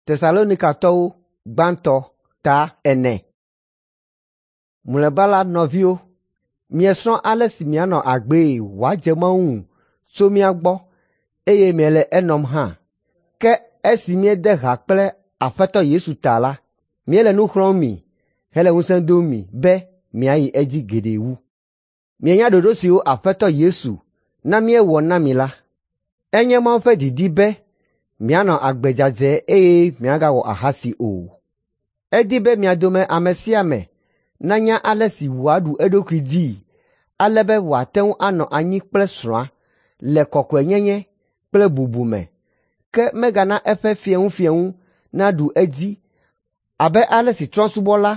Tesalonikatɔwo gbãtɔ ta 4. Mlɔeba la, nɔviwo, miesrɔ̃ ale si mianɔ agbee wòadze Mawu ŋu tso mía gbɔ eye miele enɔm hã. Ke esi míede ha kple Aƒetɔ Yesu ta la, míele nu xlɔ̃m mi hele ŋusẽ dom mi be miayi edzi geɖe wu. Mienya ɖoɖo siwo Aƒetɔ Yesu na míewɔ na mi la. Enye Mawu ƒe didi be mianɔ agbe dzadzɛ eye miagawɔ ahasi o. Edi be mia dome ame sia ame nanya ale si wòaɖu eɖokui dzii ale be wòate ŋu anɔ anyi kple srɔ̃a le kɔkɔenyenye kple bubu me, ke megana eƒe fieŋufieŋu naɖu edzi abe ale si trɔ̃subɔla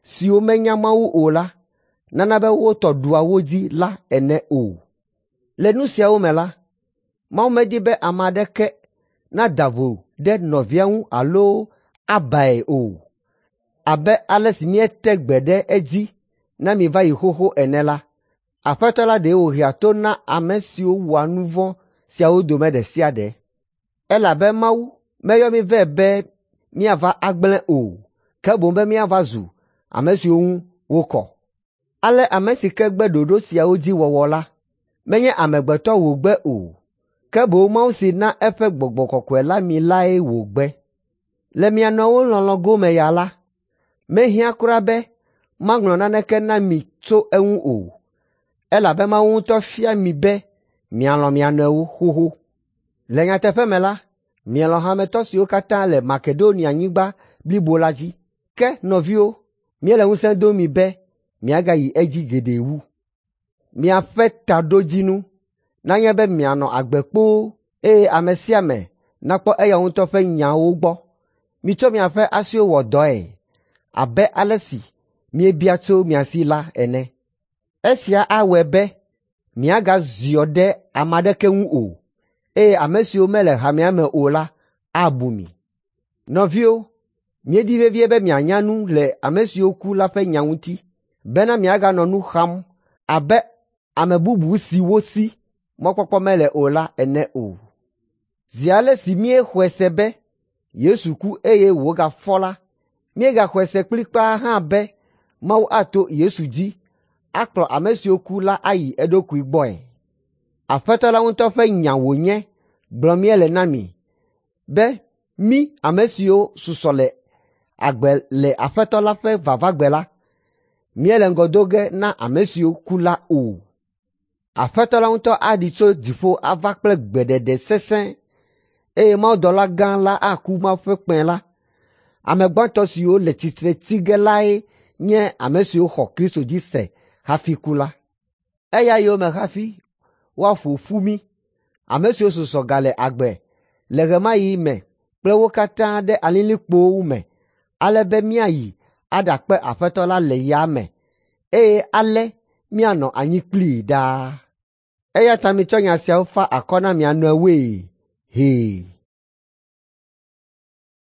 siwo menya Mawu o la nana be wo tɔ ɖua wo dzi la ene o. Le nu siawo me la, Mawu medi be ame aɖeke nada vo ɖe nɔvia ŋu alo abae o. Abe ale si míete gbe ɖe edzi na mi va yi xoxo ene la, Aƒetɔ la ɖe wòhea to na ame siwo wɔa nu vɔ̃ siawo dome ɖe sia ɖe. Elabe Mawu meyɔ mí vɛ be míava agblẽ o, ke boŋ be míava zu ame siwo ŋu wokɔ. Ale ame si ke gbe ɖoɖo siawo dzi wɔwɔ la, menye amegbetɔ wògbe o, ke boŋ Mawu si na eƒe Gbɔgbɔ Kɔkɔe la mi lae wògbe. Le mia nɔewo lɔlɔ̃ gome ya la, mehiã kura be maŋlɔ naneke na mi tso eŋu o, elabe Mawu ŋutɔ fia mi be mialɔ̃ mia nɔewo xoxo. Le nyateƒe me la, mielɔ̃ hametɔ siwo katã le Makedonianyigba blibo la dzi. Ke nɔviwo, míele ŋusẽ dom mi be miagayi edzi geɖe wu. Miaƒe taɖodzinu nanye be mianɔ agbe kpoo eye ame sia ame nakpɔ eya ŋutɔ ƒe nyawo gbɔ. Mitsɔ miaƒe asiwo wɔ dɔe abe ale si míebia tso mia si la ene. Esia awɔe be miagaziɔ ɖe ame aɖeke ŋu o, eye ame siwo mele hamea me o la abu mi. Nɔviwo, míedi vevie be mianya nu le ame siwo ku la ƒe nya ŋuti, bena miaganɔ nu xam abe ame bubu siwo si mɔkpɔkpɔ mele o la ene o. Zi ale si míexɔe se be Yesu ku eye wògafɔ la, míegaxɔe se kplikpaa hã be Mawu ato Yesu dzi akplɔ ame siwo ku la ayi eɖokui gbɔe. Aƒetɔ la ŋutɔ ƒe nya wònye gblɔm míele na mi be mí ame siwo susɔ le agbe le Aƒetɔ la ƒe vavagbe la, míele ŋgɔ do ge na ame siwo ku la o. Aƒetɔ la ŋutɔ aɖi tso dziƒo ava kple gbeɖeɖe sesẽ eye mawudɔla gã la aku Mawu ƒe kpẽ la. Ame gbãtɔ siwo le tsitre tsi ge lae nye ame siwo xɔ Kristo dzi se hafi ku la. Eya yome hafi woaƒo ƒu mí, ame siwo susɔ gale agbe le ɣe ma ɣi me kple wo katã ɖe alilikpowo me ale be míayi aɖakpe Aƒetɔ la le yame eye ale míanɔ anyi kplii ɖaa. Eya ta mitsɔ nya siawo fa akɔ na mia nɔewoe hee.